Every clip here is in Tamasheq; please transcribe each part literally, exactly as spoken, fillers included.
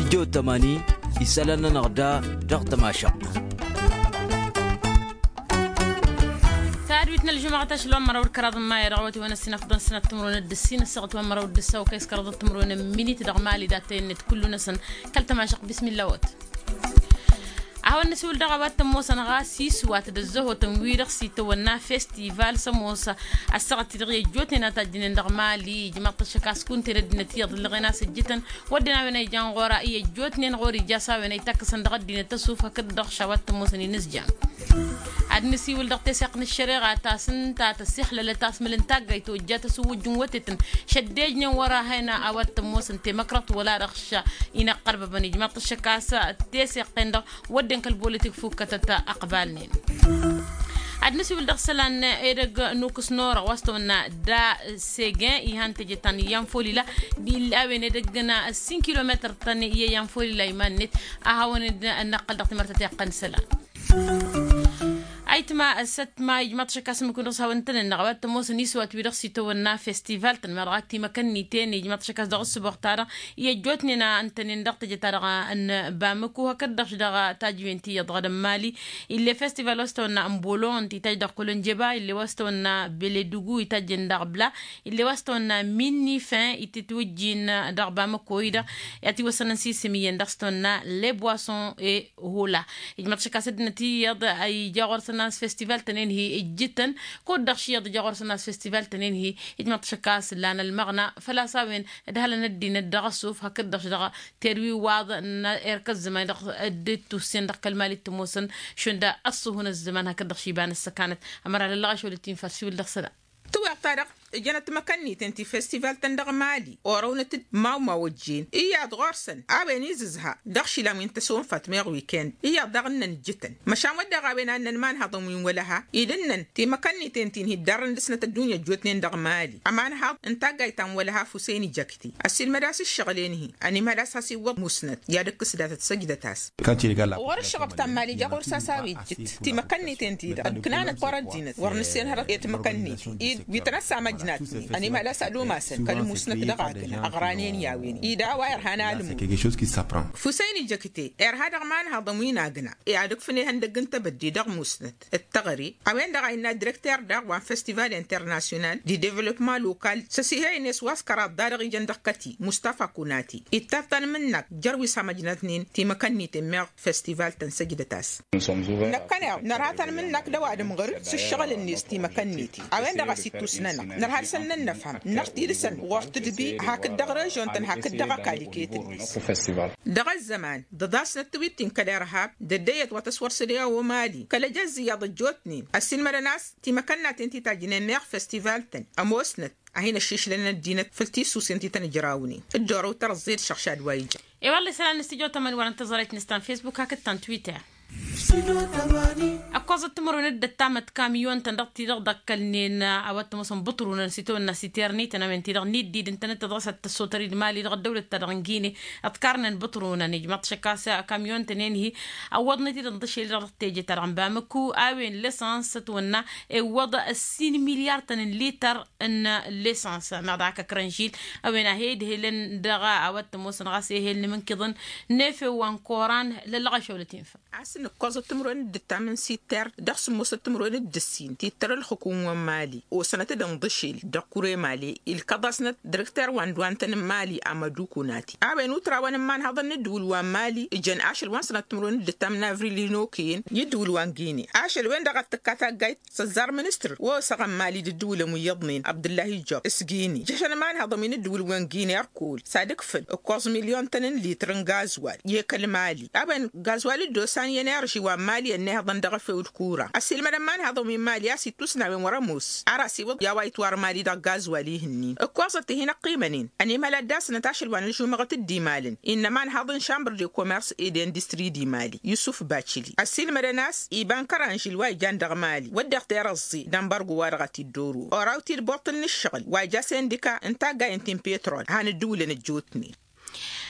Tămani isălan-nănăɣ da dăɣ-tămašăɣt. Tadwit n-ălžumăɣăt ašăl wa n-măraw d-kăraḍ n-maya dăɣ-wăt i-wăn ăssin afḍăn sănat timrăwen d-ǝssin ăssaɣăt wa n-măraw d-ǝssaw kăy-s kăraḍăt timrăwen n-minit dăɣ-mali dat-tăyănnet kullu-năsăn. Kăl-tămašăɣt bismilla-wăt. A hawăn-nǝsiwǝl dăɣ-a-wa t-ămoosăn ɣas iswat d-ăzzăhotăn wi-dăɣ s-itawănna festival s-ămoos ăssaɣăt-i-dăɣ i-ăjjootnen a tajjǝnen dăɣ-mali ijmaḍ-t ăššăk a-s kunta-en ăddinăt iyyăḍ ǝllăɣen a-s ǝjjǝtăn. Wădden a-wen a ijan ɣur-a i-ăjjootnen ɣur-ija a-s a-wen a itakkăsăn dăɣ-ăddinăt ăsuf hakd-dăɣ šawat tămoosăn inǝzjan. Ad-nǝsiwǝl dăɣ-teseɣt n-ăššăreɣa ta s-ǝnta tăsixlălăt a-s mǝl n-taggayt tojjat ăsǝwwǝjj n-wătetăn šăddejnen wăr-ahăyna a-wa t-ămoosăn temăkrăḍt wăla dăɣ-š. Inăqqărbăbăn ijmaḍ-t ăššăk a-s teseɣt-en-dăɣ wădden kăl-bolitik fukkătăt ăqbalnen. Ad-nǝsiwǝl dăɣ-isălan edăgg n-ukǝs n-orăɣ wa s-tăwănna da segin ihan teje ta n-iyyăn folila. D-illa a-wen edăgg n-ǝssin kilometăr-tăn i-iyyăn folila iman-net. A hawăn-dd-năqqăl dăɣ-timărtăt i-iqqăn isălan. Ayǝtma ăssătma ijmaḍ-t ašăk a-s ǝmmǝk-wen dăɣ-s hawăn-tăn-ănn dăɣ-a-wa t-ămoosăn iswat wi-dăɣ s-itawănna festival-tăn ma dăɣ-ak timăkănniten ijmaḍ-t ašăk a-s dăɣ-ǝssǝboɣ-ta-dăɣ i-ăjjootnen a ǝntănen dăɣ-teje-ta-dăɣ n-bamăko hakd-dăɣ-š dăɣ-tajǝwen ti iyyăḍ dăɣ-edămmali. Ill'-e festival wa s-tăwănna n-bolon ti tajj dăɣ-kolonjeba ill'-e wa s-tăwănna beledugu itajjen dăɣ-bla. Ill'-e wa s-tăwănna minni fin itǝtwǝjjin dăɣ-bamăko-i-dăɣ i-ad-t-iwăssănăn s-isǝm iyyăn dăɣ-s tăwănna leboison e hula. Ijmaḍ-t ašăk a-s ăddinăt iyyăḍ ija ɣur-săn a-s festival-tăn enhi ǝjjǝtăn. Kud-dăɣ š-iyyăḍ ija ɣur-săn a-s festival-tăn enhi ijmaḍ-t ašăk a-s lan ălmăɣna făl-a-s a-wen ǝdhălăn ăddinăt dăɣ-ăṣṣuf hakd-dăɣ š-dăɣ terwi waḍ n-erk ăzzăman dăɣ-dd-tussen dăɣ-kăl-mali t-ămoosăn šund ăṣṣuhun ăzzăman hakd-dăɣ š-iba n-ăssăkanăt. Ămăra lăllăɣ ašăl d-tinfar siwǝl dăɣ-săla. Tǝwweḍ-ta-dăɣ ǝjănăt timăkănniten ti festival-tăn dăɣ-mali orăwnăt-dd mawmaw ăjjeen iyyăḍ ɣur-săn a-wen izǝzha dăɣ-išilan wi n-tăsonfat meɣ wikend iyyăḍ daɣ ǝnnăn ǝjjǝtăn. Măšan wădden a-wen a ǝnnăn imanhăḍăn wi n-wălăha-i d-ǝnnăn timăkănniten ti n-hi-ǝddarrăn dăr-snăt ăddunya ăjjootnen dăɣ-mali ămanhăḍ n-taggayt ta n-wălăha fusăyni jăkte ăssiilmăd-as ǝššăɣǝl-en-hi ănimhăl a-s has-iwwăḍ musnăt i-ad-ǝkkǝs datăt săjdăt-as. Ɣur-ǝššăɣăb ta n-mali ja ɣur-s a-s a-wa ijjǝt timăkănniten-ti-dăɣ ǝknanăt wăr-ăddinăt wăr nǝssenhăr i-timăkănniten-dd wi tăn-ăssamăjnatnen ănimhăl a-s ad-umasăn kăl-musnăt dăɣ-agna ăɣranen i-a-wen-i d-a-wa irhan alǝmut. Fusăyni jăkte irha dăɣ-imanhăḍăn wi n-agna i-ad-ǝkfǝn ihăndăgg n-tebădde dăɣ-musnăt d-teɣăre. A-wen-dăɣ a innă direkter daɣ wa n-festival internasyonal d-devlopman lokal s-ăsihăynen s-wa s-kăraḍ da-dăɣ ijăn dăɣ-kăti mustafa kunati ittăr tanmǝnnakt jer-wi s-amăjnatnen timăkănniten meɣ festival-tăn săjdăt-as. Năkkăneḍ nărha tanmǝnnakt d-ăwadǝm ɣǝr-dd s-ǝššăɣǝl-net timăkănniten a-wen-dăɣ a-s ittus-nănăɣ nărha dăr-săn n-ănnăfhăm năɣ tidǝsăn ɣur-tǝdbi hakd dăɣ-režion-tăn hakd dăɣ-ăkall iket-net. Dăɣ-ăzzăman d-ăḍasnăt tiwit-in kăl-irhab d-ăddăyyăt wa tăswăr s-ădăy a omali kăl-ăjăzz iyyăḍ ăjjootnen ăssiilmădăn a-s timăkănnaten ti tajjǝnen meɣ festival-tăn ămoosnăt ad-hin-ăššišlăn ăddinăt făll-tissusen ti tăn-ǝjrawnen. Dd-orăw tărẓed šăɣšad wa ija. E-wălla isălan n-stujo tămani wăr-ăntăẓăret n-istan facebook hakd ta n-twitter. Ăkkoẓăt timărwen d-ăttamăt kamyon-tăn dăɣ-ti-dăɣ dd-ăkkălnen a-wa t-ămoosăn bǝṭrunăn s-itawănna s-iternităn a-wen-ti-dăɣ n-iddid ǝntănăt tăḍrăsat tăssotăr-dd mali dăɣ-ăddăwlăt-ta-dăɣ n-gine. Ăḍkarnen bǝṭrunăn ijmaḍ-t šăkk a-s kamyon-tăn-en-hi ăwwăḍnăt-dd ǝnḍǝšel-i-dăɣ dăɣ-teje-ta-dăɣ n-bamăku a-wen l-esăns ătwănna iwwăḍ ǝssin milyar-tăn n-lităr n-lesăns meɣ dăɣ-ak ăkrănžil. A-wen a he-idhelăn dăɣ-a-wa t-ămoosăn ɣas ehel n-imǝnkiḍăn n-efew wa n-koran lăllăɣ ašăwlăt infa. A-s nǝkkoẓăt timǝrwen d-ǝttam n-sitter dăɣ-sǝmmosăt timǝrwen d-ǝssin tittăr ǝlxǝkum wa n-mali osănăt-dd ǝnḍǝšel dăɣ-kure mali ilkăḍasnăt direkter wa n-dwantăn n-mali amăduku nati a-wen utrawăn n-imanhăḍăn n-ǝddǝwǝl wa n-mali ǝjăn ašăl wa n-sănăt timǝrwen d-ǝttam n-avril inoke-en i-ǝddǝwǝl wa n-gine. Ašăl-wen-dăɣ a t-tǝkka taggayt s-ăzzar ministăr wa osăɣăn mali d-ǝddǝwǝlăn wi iyyăḍnen abdǝllahi jăb s-gini jăšăn imanhăḍăn wi n-ǝddǝwǝl wa n-gine ărkul s-ad-ǝkfǝl ǝkkoẓ milyon-tăn n-litr n-gazwal i-kăl-mali a-wen gazwal dd-osan i-enerži wa n-mali ănnihăḍăn dăɣ-efew d-kura ăsilmădăn imanhăḍăn wi n-mali a-s ittusna a-wen wăr-ămoos ar asiwǝḍ i-a-wa itwar mali dăɣ-gazwal ihǝnnin ǝkkoẓăt tihin ăqqimănen. Ănimhăl ad-dd-asnăt ašăl wa n-ăžžumăɣăt d-imalăn innă imanhăḍ n-šambăr de komers ed industri d-imali yusuf bacili ăsilmădăn a-s iba n-kăranžil wa ijan dăɣ-mali wădden tirăẓẓi d-ănbărgo wa dăɣ-a t-dd-oru oraw-t-dd boṭṭǝl n-ǝššăɣǝl wa ija sindika n-taggayen ti n-pitrol han ǝddǝwǝlăn ăjjootnen.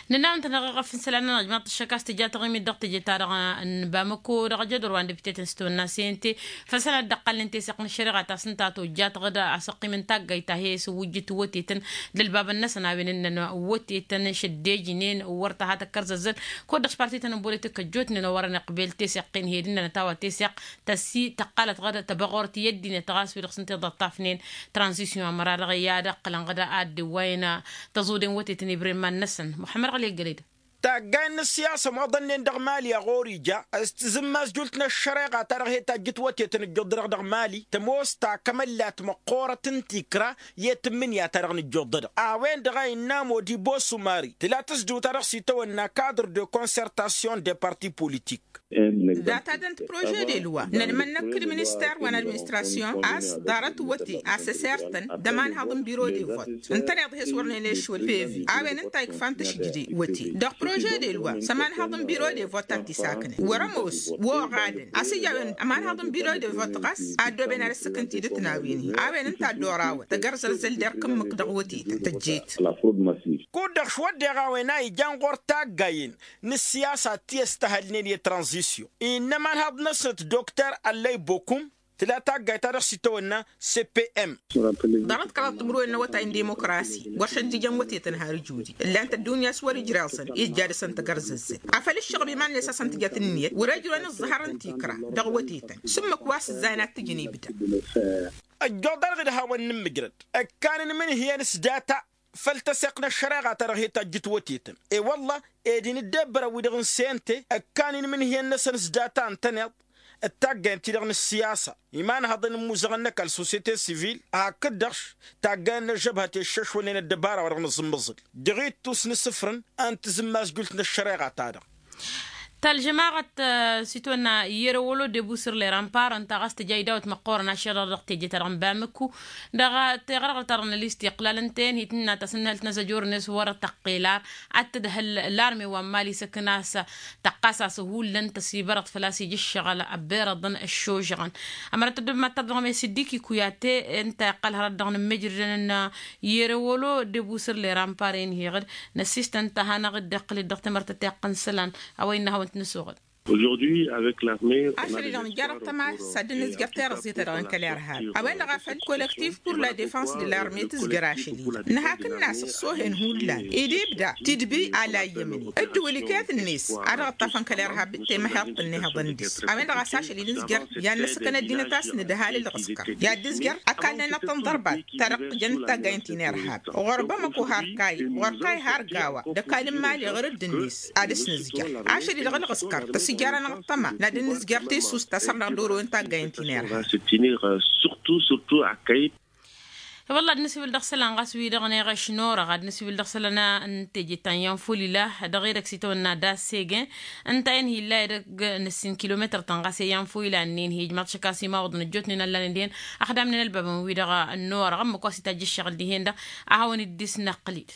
Nǝnna a-wen-tăn dăɣ-eɣăf n-isălan-nănăɣ ijmaḍ-t ăššăk a-s tǝjja taɣimit dăɣ-teje-ta-dăɣ n-bamăko dăɣ-jădor wa n-debite-tăn s-tawănna s-e n-te făll-isălan dd-ăqqalnen teseɣt n-ăššăreɣa ta s-ǝnta a tojja tăɣ-dd asăqqim n-taggayt ta he-s ǝwwǝjjǝt wătetăn d-ălbabăn-năsăn a-wen ǝnnăn wătetăn šăddejnen wăr tăha tăkkărzăzzăl. Kud-dăɣ s-parti-tăn n-bolitik ăjjootnen wăr-ănăqbel teseɣt tin-he-dd ǝnnăn ătawa teseɣt tăssi tăqqalăt ɣăr tăbăɣort i-ăddinăt ɣas wi-dăɣ s-ǝnta i-dd-ăṭṭafnen tranzisyon ămăra-dăɣ i-ad-ăqqǝlăn ɣăr ad-dd-iwwayăn tăẓudin wătetăn ibren iman-năsăn. Muḥămmăd ɣăli ăggălăy-dăɣ. Taggay n-ǝssiyasăm oḍănnen dăɣ-mali a ɣur-ija s-tǝzǝmmas jult n-ăššăreɣa-ta-dăɣ he-tajjǝt wătetăn ǝjjuḍ-dăɣ dăɣ-mali tămoos ta kămăllat măqqoorăt n-tikra i-tǝmmǝnǝya-ta-dăɣ n-ǝjjuḍ-dăɣ a-wen-dăɣ a innă modi bosumari tǝla tǝzdǝw-ta-dăɣ s-itawănna kadr de consertation de parti politik. Data-dăn-t prože de lwa n-ălmănnăk d-minister wa n-administrasyon a-s ḍarăt wăte a s-ăsertăn d-ămanhăḍ n-biro de vot ǝntăneḍ he-s wăr nănešwăl peve a-wen ǝnta a ikfan tǝšjǝde wăte dăɣ-prože de lwa s-ămanhăḍ n-biro de vot a t-isaknăn wăr-ămoos. Oɣadăn a-s ǝyya a-wen ămanhăḍ n-biro de vot ɣas a ăddooben ad-ăssǝkǝn tidǝt n-a-wen-hi a-wen ǝnta a dd-orawăn tăgărzărzăl d-erk ǝmmǝk dăɣ-wătetăn tăjjet. Kud-dăɣ šwăddeɣ a-wen a ijan ɣur-taggayen n-ǝssiyasa ti ăstăhălnen i-tranzisyon innă ămanhăḍ-năsnăt dokter ăllăy bokum tǝla taggayt-ta-dăɣ s-itawănna cpm. Ḍarăt kăraḍ timǝrwen n-awătay n-dimukrasi wăr šăjjǝjăn wătetăn har ǝjudi ǝllan-t ăddunya s-wăr-ijreẓăn ijja dăɣ-săn tăgărzăzzăt afăl ǝššăɣǝb iman-net a-s ăntǝjăt ǝnniyăt wăr-ăjrăwăn ǝẓẓăhăr n-tikra dăɣ-wătetăn s-ǝmmǝk wa s-ǝzzayăn ad-t-ǝjǝn ibda. Ăjjoḍ-anăɣ d-hawăn-nǝmmǝjrăd ǝkkan inmǝnhǝyăn s-data făll-tăseɣt n-ăššăreɣa-ta-dăɣ hi-tajjǝt wătetăn i-wălla ed inǝddebbărăn-wi-dăɣ n-sente ǝkkan inmǝnhǝyăn-năsăn s-data ǝntăneḍ d-taggayăn-ti-dăɣ n-ǝssiyasa imanhăḍăn n-imuzăɣăn n-ăkall sosyete sivil hakd-dăɣ-š taggayăn n-ăžžăbhăt i-ǝššăšwălnen ăddăbara wa dăɣ-nǝẓǝmmǝẓǝl dăɣ-ittus n-isǝfrǝn a ǝntǝzǝmmas jult n-ăššăreɣa-ta-dăɣ. Talžămaɣăt s-itwănna yerewălo debusǝr leranpar ǝnta ɣas tǝja idawăt măqqoorăn ašăl-dăɣ dăɣ-teje-ta-dăɣ n-bamǝkku dăɣ-teɣrăɣăt-ta-dăɣ n-ălistiqlal ǝnta-en hi-tǝnnat asǝnnăhǝl tinăzăjor-net wăr-tăqqel ar ad-tǝdhǝl larme wa n-mali isăkna s-tăqqas-as hullan tăsibărăɣt făl-a-s ija ǝššăɣǝl ăbberăḍăn ăššožăɣăn. Ămărăt ăddăbmat ta dăɣ-mesiddiki kuyate ǝnta iqqăl hărăt dăɣ-inǝmmǝjrǝdăn n-yerewălo debusǝr leranpar-en heɣ-dd năssistăn ta hanăɣ-dd iqqǝl-dd dăɣ-temărtăt iqqăn isălan a-wa innă hawăn-t-nǝsuɣǝl. Ašăl-i-dăɣ nǝjjar ăṭṭăma s-ad-dd-nǝzjăr tirǝẓẓit-ta-dăɣ n-kăl-irhab a-wen-dăɣ a făl colektif pur la defans de larme tǝzjăr ašăl-i-dăɣ nǝhakǝnna s-ăṣṣohen hullan ed ibda tidbi a la iyyămnen ǝddǝwǝl iket-net a dăɣ-ǝṭṭafăn kăl-irhab temăheḍt ǝnnihăḍăn dăɣ-s a-wen-dăɣ a-s ašăl-i-dăɣ nǝzjăr i-ad-năssăkăn ăddinăt a-s nǝdhal ălɣǝskăr i-ad-dd-ǝzjăr ăkall-nănăɣ tăn-ḍărbat ta dăɣ-tǝjăn d-taggaynt-i n-irhab ɣur-bamăko har kayy ɣur-kayy har gawa d-ăkall n-imali ɣur-dd-net ad-dăɣ-s nǝzjăr ašăl-i-dăɣ ălɣǝskăr tăsǝjjărăn ăṭṭăma n-ad-dd-nǝzjăr tisusta săr-năɣ d-oro n-taggaynt-i n-irhab. I-wălla ad-nǝsiwǝl dăɣ-isălan ɣas wi-dăɣ n-eɣăš n-orăɣ ad-nǝsiwǝl dăɣ-isălan n-teje ta n-yanfulila dăɣ-edăgg s-itawănna d-assegen ǝnta-en hi-illa edăgg n-ǝssin kilometăr-tăn ɣas i-yanfulila-nin hi-ijmaḍ šăkk a-s imawăḍăn ăjjootnen ăllănen dihen ăxdamnen ălbabăn-wi-dăɣ n-orăɣ ǝmmǝk wa s-itajj ǝššăɣǝl dihen-dăɣ a hawăn-dd-isnăqqǝl-dd.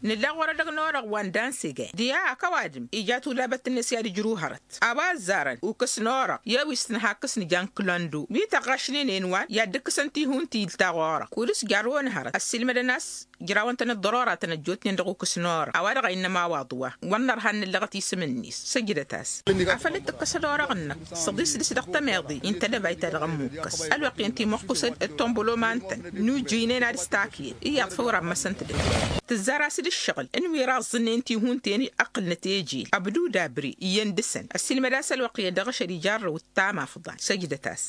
Nǝlla ɣur-edăgg n-orăɣ wa n-dansege diha hak ăwadǝm ija tulabăt-net i-ad-ǝjrǝw hărăt a-wa ăzzarăn ukǝs n-orăɣ i-wi s-tǝnha ǝkkǝs n-ija n-kǝlăndo wi tăɣɣašnen enwan i-ad-dd-ǝkkǝsăn tihun-ti-dăɣ orăɣ kud-s jarrăwăn hărăt ăssiilmădăn a-s ǝjrawăn-tăn ăḍḍărora-tăn ăjjootnen dăɣ-ukǝs n-orăɣ a-wa-dăɣ a innă ămawaḍ wa wăr nărha n-nǝllăɣăt isǝm-net săjdăt-as. Afăl dd-tǝkkăsăd orăɣ-năk s-ăḍis dăɣ-s dăɣ-tămeḍe i n-tedăbayt-ta-dăɣ ămmukkăs ălwăqq-i ǝnta imăqqusăd d-tombăloma-nǝtăn n-ujjǝynen ad-ǝstakǝyăn iyyăḍ făw rammăsăn-t-dd tǝzzar-as-dd ǝššăɣǝl n-wi raẓẓǝnnen tihun-ten ăqqǝlnăt ejel ăbdud abri iyyăn dăɣ-săn ăssiilmăd-as ălwăqq iyyăn dăɣ-ašăl ijarrăw ǝttam afḍal săjdăt-as.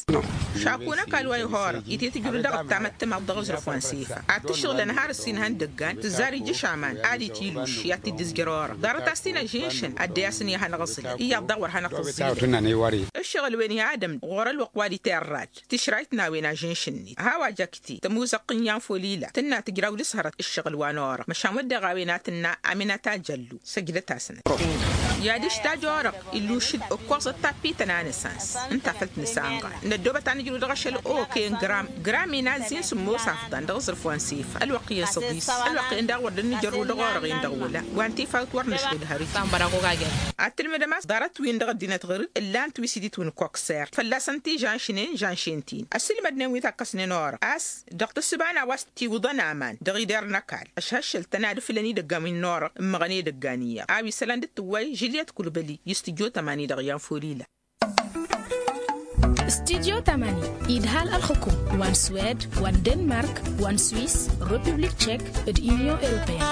Šaku n-ăkall wa ih'-orăɣ itetǝjrǝw dăɣ-ǝttam ăttămaḍ dăɣ-aẓrǝf wa n-sifa ad-t-ǝššăɣǝlăn har ǝssin ihăndăggan tǝzzar ija ašaman ad-itiluš i-ad-t-dd-ǝzjăr orăɣ ḍarăt-as-t-in ăžžinšăn ăddăy-asăn i-ad-hanăɣ-ǝẓlăn iyyăḍ daɣ wăr hanăɣ-tǝẓẓilăn. Ǝššăɣǝl-wen i-ad-ămdăɣ ɣur-ălwăqq wa d-iterrad tišrayt n-a-wen ažǝnš-net a-wa jăkte tămuzăɣt n-iyanfulila tǝnna tǝjraw dăɣ-s hărăt ǝššăɣǝl wa n-orăɣ măšan wădden a-wen ad-tǝnna aminat ajăllu săjdăt-asnăt. I-ad-ǝštaj orăɣ illuš-dd ǝkkoẓăt tappităn a nǝsans ǝnta a făl t-nǝsanɣal năddoobăt ad-nǝjrǝw dăɣ-ašăl oke n-gram gram inazzi n-sǝmmos afḍan dăɣ-aẓrǝf wa n-sifa ălwăqq iyyăn s-ăḍis ălwăqq iyyăn daɣ wăr dd-nǝjărrǝw dăɣ-orăɣ-en dăɣ-wăla wa n-tifawt wăr nǝšwǝd hărǝt. Ad-tǝlmǝdăm a-s ḍarăt-win-dăɣ ăddinăt ɣur-dd ǝllan-t wi s-iditwǝn kukser fălla-săn ti žănšnen žănšen-t-in ăssiilmădnen wi takkăsnen orăɣ a-s dăɣ-tǝssǝba n-a-wa s-tiwǝḍăn aman dăɣ-ider n-ăkall ăšhăššăl-tăn ad-ǝfǝl. ǝttăn idăgg a-wen n-orăɣ ǝmmăɣăn edăgg a n-iyyăḍ a-wa isălan dd-tǝwway žǝlyăt kulbăli. I-studyo tămani-dăɣ i-anfulila. Studyo tămani idhal ălxǝkum wa n-swed wa n-denmark wa n-swis, republik tšek, d-inyon europeyăn.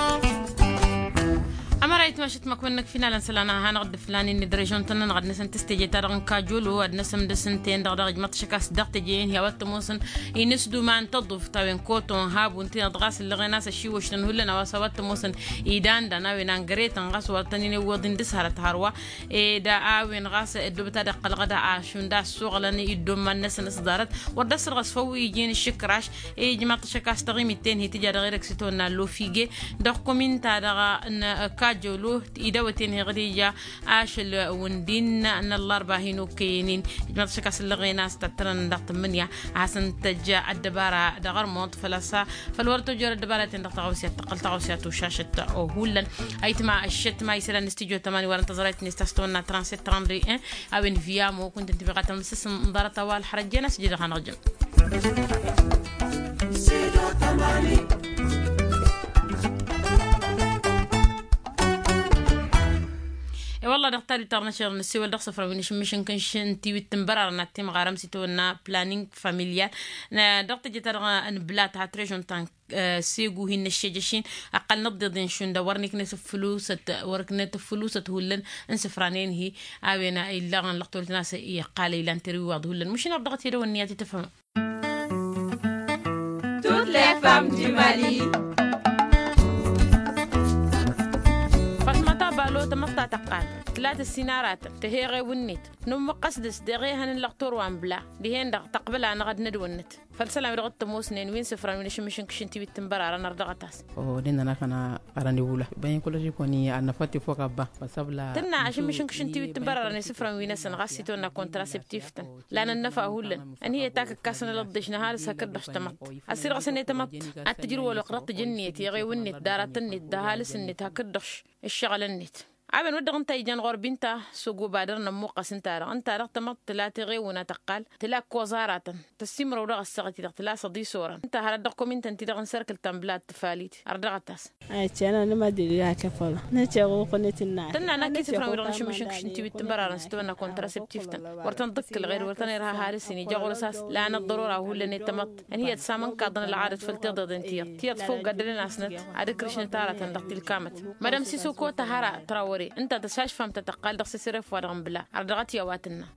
Ămăra itmašăt măkwăn-năk finalăn isălan a hanăɣ-dd-ǝflanen d-režon-tăn-nănăɣ ad-năsăn tǝstejăy-ta-dăɣ n-kajolo ad-năsăn d-asǝnten-dăɣ dăɣ-ijmăḍ-t šăk a-s dăɣ-tejăyăn hi-a-wa t-ămoosăn. Inǝsduma n-tăḍuft a-wen koton habun ti-dăɣ ɣas ǝllăɣen a-s ăšiwăš-tăn hullan a-wa s-a-wa t-ămoosăn idandan a-wen angăretăn ɣas wăr tăn-in-iwwăḍ-in dăr-s hărăt hărwa. Ed a-wen ɣas ăddoobăt ad-iqqălăɣ d-ašund a ăssuɣălăn iddomman-năsăn s-ḍarăt wăr dd-ăssărɣăs făw wi ijin ǝššǝkraš. Ijmaḍ-t šăk a-s taɣimit-ten-hi tǝja dăɣ-erek s-itawănna lofi ge dăɣ-kuminta-dăɣ n-kajolo. Idawăt-en-hi ɣǝd ija ašăl wǝndin n-ăllărba hin-okăyăn-in. Ijmaḍ-t šăk a-s ǝllăɣen a-s tăttărăn dăɣ-tǝmmǝnǝya a hasăn-tăjj ăddăbara dăɣ-ărmuḍ făl-a-s făl wăr tăjor ăddăbara-ten-dăɣ taɣăwse ad-tăqqăl taɣăwse ad-tušašăt. Hullan ayǝtma ăššăt ma isălan n-studyo tămani wărăn tăẓrayt-net ta s-tawănna transet trandri-en. A-wen viyamo kunta n-tibiɣatăn mǝssǝs n-ḍarăt a-wa ălxărăjjen a-s ǝjǝdăɣ hanăɣ-jăm. I-wălla dăɣ-tadut ta dăɣ-năšăr n-ăssewăl dăɣ-săfra wi n-ašǝmmǝšǝnkǝnš n-tiwit n-bărarăn ad-timɣarăm s-itawănna planning familial. Dăɣ-tejăt-ta-dăɣ n-blat ha trežon ta n-segu hin-năššejăš-in ăqqălnăt d-iḍen šund a wăr niknet ǝffǝlusăt wăr niknet ǝffǝlusăt hullan n-isǝfranen-hi. A-wen illăɣăn lăqtolt n-a-s iqqal ilan terwiwaḍ hullan măšin ărdăɣăt i-dăɣ ǝnniyăt i-tǝfhăm. Toutes les femmes du mali. Fătmăta balo tămăḍt ta tăqqal tǝlat ǝssin aratăn tăheɣ ewǝnnet. Nǝmmǝqqăs dăɣ-s deɣ ehăn n-lăqtor wa n-bla dihen-dăɣ tăqbăl-anăɣ ad-nădwănnăt. Făll-isălan wi dăɣ-t-ămoosnen wi n-isǝfran wi n-ašǝmmǝšǝnkǝš n-tiwit n-bărarăn ărdăɣăt-as. Odin-nănăɣ fănna arăn iwǝla băyăn kăl-ăžikoni ad-năfăt ifok abba. Tǝnna ašǝmmǝšǝnkǝš n-tiwit n-bărarăn isǝfran wi-năsăn ɣas s-itwănna kontraseptif-tăn. Lanăn năfa hullan ănhǝyăt akǝkkasăn ălăḍḍeš n-ăhalǝs hakd-dăɣ tamăḍt. Ăsidăɣ-săn i-tamăḍt ad-t-tǝjǝr wăloq dăɣ-tijǝnniyăt i-iɣewǝnnet d-aratăn-net d-ăhalǝs-net hakd-dăɣ. Ǝššăɣǝl-net a-wen wăr dăɣ-ǝnta a ijan ɣur-binta s-ogobadăr n-ămmuqqăs ǝnta-dăɣ ǝnta-dăɣ tamăḍt tǝla teɣewǝn a tăqqal tǝla ăkkoẓ aratăn. Tăssimrăw dăɣ-ăssaɣăt-i-dăɣ tǝla săḍi s-orăn ǝnta hărăt dăɣ-komintăn-ti-dăɣ n-serkǝl ta n-blat tǝfalit. Ărdăɣăt-as. Tǝnna năkk isǝfran wi-dăɣ n-ašǝmmǝšǝnkǝš n-tiwit n-bărarăn s-tăwănna kontraseptif-tăn wăr tăn-dd-ǝkkǝlăɣ ed wăr tăn-irha ăhalǝs-in ija ɣur-s a-s lanăt ḍărora hullan i-tamăḍt. Ănhǝyăt samănkaḍăn ălɣadăt făll-tiḍeḍen tiyyăḍ tiyyăḍ făw gaddălăn-asnăt ad-ǝkrǝšnăt aratăn dăɣ-tilkamăt. Mădam sisoko tahăra trawăre ǝnta tăsašfam ta tăqqal dăɣ-sesăref wa dăɣ-nǝbla. Ărdăɣăt i-a-wa tǝnna.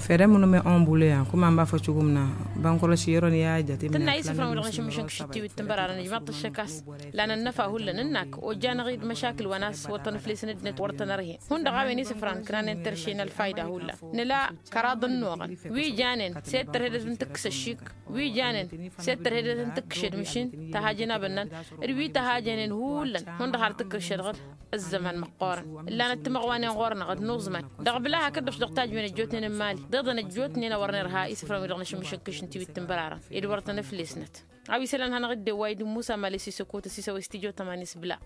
Fere mǝnǝme ombule ya kuma n-bafăt šugǝmna bănkăroš i-ărăn i-ajăt. Tǝnna isǝfran wi-dăɣ n-ašǝmmǝšǝnkǝš n-tiwit n-bărarăn ijmaḍ-t ăššăk a-s lanăn năfa hullan ǝnnak ojjanăɣ-dd măšakǝl wa n-a-s wăr tăn-ǝflesăn ăddinăt wăr tăn-ărhen. Hundăɣ a-wen isǝfran kănanăn terše n-ălfayda hullan nǝla kăraḍ ănnuɣăn wi janen s-e-d tărhedăt n-tǝkkǝs ăššik wi janen s-e-d tărhedăt n-tǝkkǝšed măšin tăhajăn abănnan d-wi tăhajănen hullan. Hundăɣ har tǝkkǝšed ɣǝd ăzzăman măqqoorăn ǝllanăt timăɣwanen ɣur-năɣ d-nuẓman dăɣ-bǝla hakd-dăɣ-s dăɣ-tajwen ăjjootnen n-imali d-iḍăn ăjjootnen a wăr nirha isǝfran wi-dăɣ n-ašǝmmǝšǝnkǝš n-tiwit n-bărarăn ed wăr tăn-ǝflesnăt. A-wa isălan hanăɣ-dd-ewway d-musa mali s-isăkot ăsisăwăy s-tijot ămani s-bǝla.